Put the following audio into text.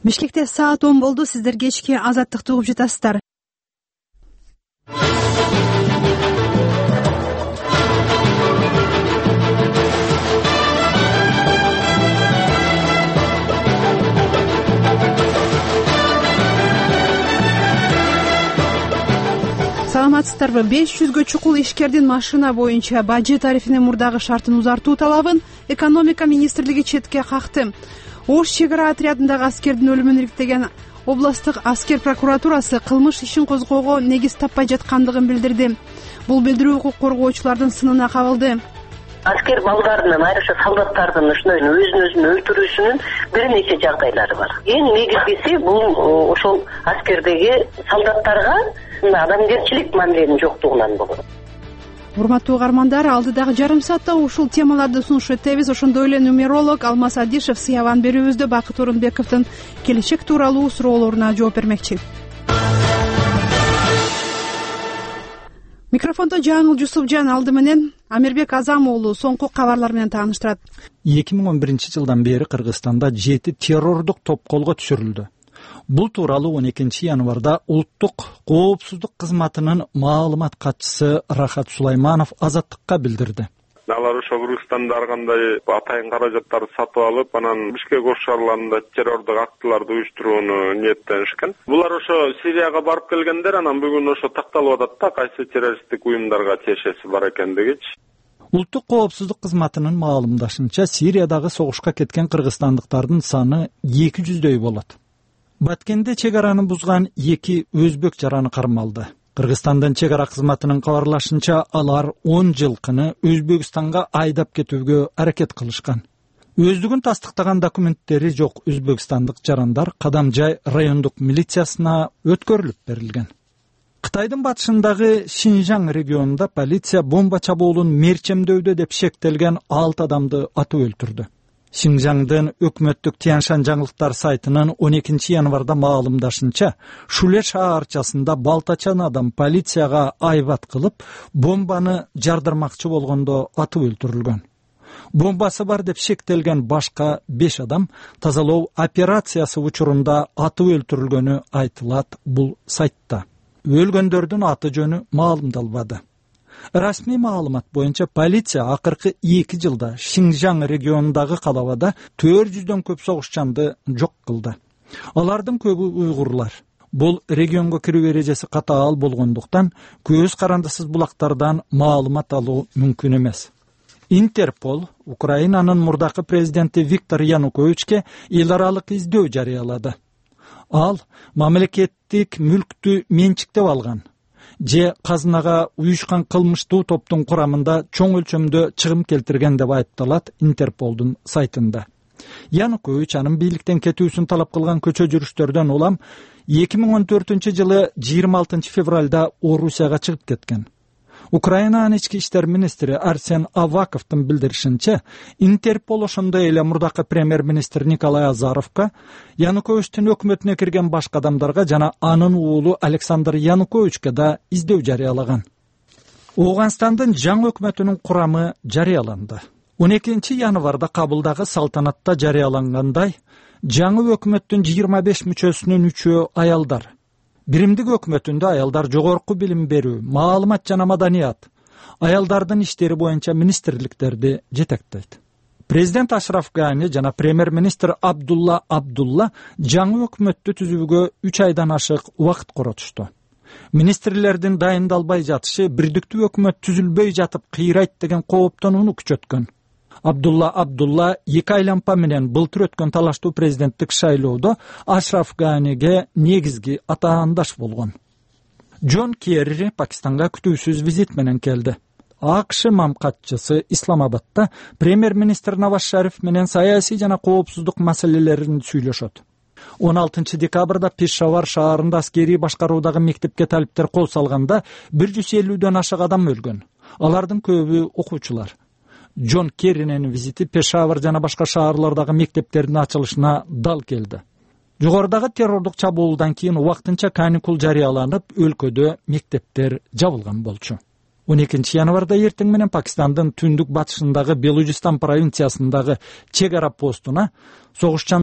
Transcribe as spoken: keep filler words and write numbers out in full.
Бишкекте саат он болду. Сиздер кечки Азаттыкты угуп жатасыздар. Саламатсыздарбы? беш жүзгө чукул ишкердин машина боюнча бажы тарифинин мурдагы шартын узартуу талабын экономика министрлиги четке какты. Ош чек ара отрядындагы аскердин өлүмүн иликтеген областтык аскер прокуратурасы кылмыш ишин козгоого негиз таппай жаткандыгын билдирди. Бул билдирүү укук коргоочулардын сынына кабылды. Аскер балдардын, айрыкча солдаттардын ушундай өзүн өзүн өлтүрүүсүнүн бир нече жагдайлары бар. Эң негизгиси бул ошол аскердеги солдаттарга адамгерчилик мамиленин жоктугунан болот. Урматтуу угармандар, алдыдагы жарым саатта ушул темаларды сунуш этебиз. Ошондой эле нумеролог Алмаз Адишев сыябан берүүбүздө Бакыт Орунбековдун келечек тууралуу суроолоруна жооп бермекчи. Микрофондо Жаңыл Жусупжан, алды менен Амирбек Азам уулу соңку кабарлар менен тааныштырат. эки миң он биринчи жылдан бери Кыргызстанда жети террордук топ колго түшүрүлдү. Бул тууралуу он экинчи январда Улуттук коопсуздук кызматынын маалымат катчысы Рахат Сулайманов Азаттыкка билдирди. Алар ошо Кыргызстанда ар кандай атайын каражаттарды сатып алып, анан Бишкек ош шаарларында террордук актыларды уюштурууну ниеттенишкен. Булар ошо Сирияга барып келгендер, анан бүгүн ошо такталып атат да кайсы террористтик уюмдарга тиешеси бар экендигичи. Улуттук коопсуздук кызматынын маалымдашынча, Сириядагы согушка кеткен кыргызстандыктардын саны эки жүздөй болот. Баткенде чек араны бузган эки өзбек жараны кармалды. Кыргызстандын чек ара кызматынын кабарлашынча, алар он жылкыны Өзбекстанга айдап кетүүгө аракет кылышкан. Өздүгүн тастыктаган документтери жок өзбекстандык жарандар Кадамжай райондук милициясына өткөрүлүп берилген. Кытайдын батышындагы Шинжаң регионунда полиция бомба чабуулун мерчемдөөдө деп шектелген алты адамды атып өлтүрдү. Шинжаңдын өкмөттүк Тяншан жаңылыктар сайтынын он экинчи январда маалымдашынча, Шуле шаарчасында балтачан адам полицияга айбат кылып, бомбаны жардырмакчы болгондо атып өлтүрүлгөн. Бомбасы бар деп шектелген башка беш адам тазалоо операциясы учурунда атып өлтүрүлгөнү айтылат бул сайтта. Өлгөндөрдүн аты жөнү маалымдалбады. Расмий маалымат боюнча полиция акыркы эки жылда Шинжаң регионундагы калабада төрт жүздөн көп согушчанды жок кылды. Алардын көбү уйгурлар. Бул регионго кирүү эрежеси катаал болгондуктан көз карандысыз булактардан маалымат алуу мүмкүн эмес. Интерпол Украинанын мурдакы президенти Виктор Януковичке эл аралык издөө жарыялады. Ал мамлекеттик мүлктү менчиктеп алган же казынага уюшкан кылмыштуу топтун курамында чоң өлчөмдө чыгым келтирген деп айыпталат Интерполдун сайтында. Янукович анын бийликтен кетүүсүн талап кылган көчө жүрүштөрдөн улам эки миң он төртүнчү жылы жыйырма алтынчы февралда Орусияга чыгып кеткен. Украинанын ички иштер министри Арсен Аваковдун билдиришинче, Интерпол ошондой эле мурдакы премьер-министр Николай Азаровго, Януковичтин өкмөтүнө кирген башка адамдарга жана анын уулу Александр Януковичке да издөө жарыялаган. Ооганстандын жаңы өкмөтүнүн курамы жарыяланды. он экинчи январда Кабылдагы салтанатта жарыялангандай, жаңы өкмөттүн жыйырма беш мүчөсүнүн үчөө аялдар. Биримдик өкмөтүндө аялдар жогорку билим берүү, маалымат жана маданият, аялдардын иштери боюнча министрликтерди жетектейт. Президент Ашраф Гани жана премьер-министр Абдулла Абдулла жаңы өкмөттү түзүүгө үч айдан ашык убакыт коротушту. Министрлердин дайындалбай жатышы бирдиктүү өкмөт түзүлбөй жатып кыйрайт деген кооптонууну күчөткөн. Абдулла Абдулла эки айланпа менен былтыр өткөн талаштуу президенттик шайлоодо Ашраф Ганиге негизги атаандаш болгон. Джон Керри Пакистанга күтүүсүз визит менен келди. АКШ мамкатчысы Исламабадда премьер-министр Наваз Шариф менен саясий жана коопсуздук маселелерин сүйлөшөт. он алтынчы декабрда Пешавар шаарында аскерий башкаруудагы мектепке талиптер кол салганда бир жүз элүүдөн ашык адам өлгөн. Алардын көбү окуучулар. Джон Керринин визити Пешавар жана башка шаарлардагы мектептердин ачылышына дал келди. Жогорудагы террордук чабуулдан кийин убактынча каникул жарыяланып, өлкөдө мектептер жабылган болчу. он экинчи январда эртең менен Пакистандын түндүк батышындагы Белужистан провинциясындагы чек ара постуна согушчан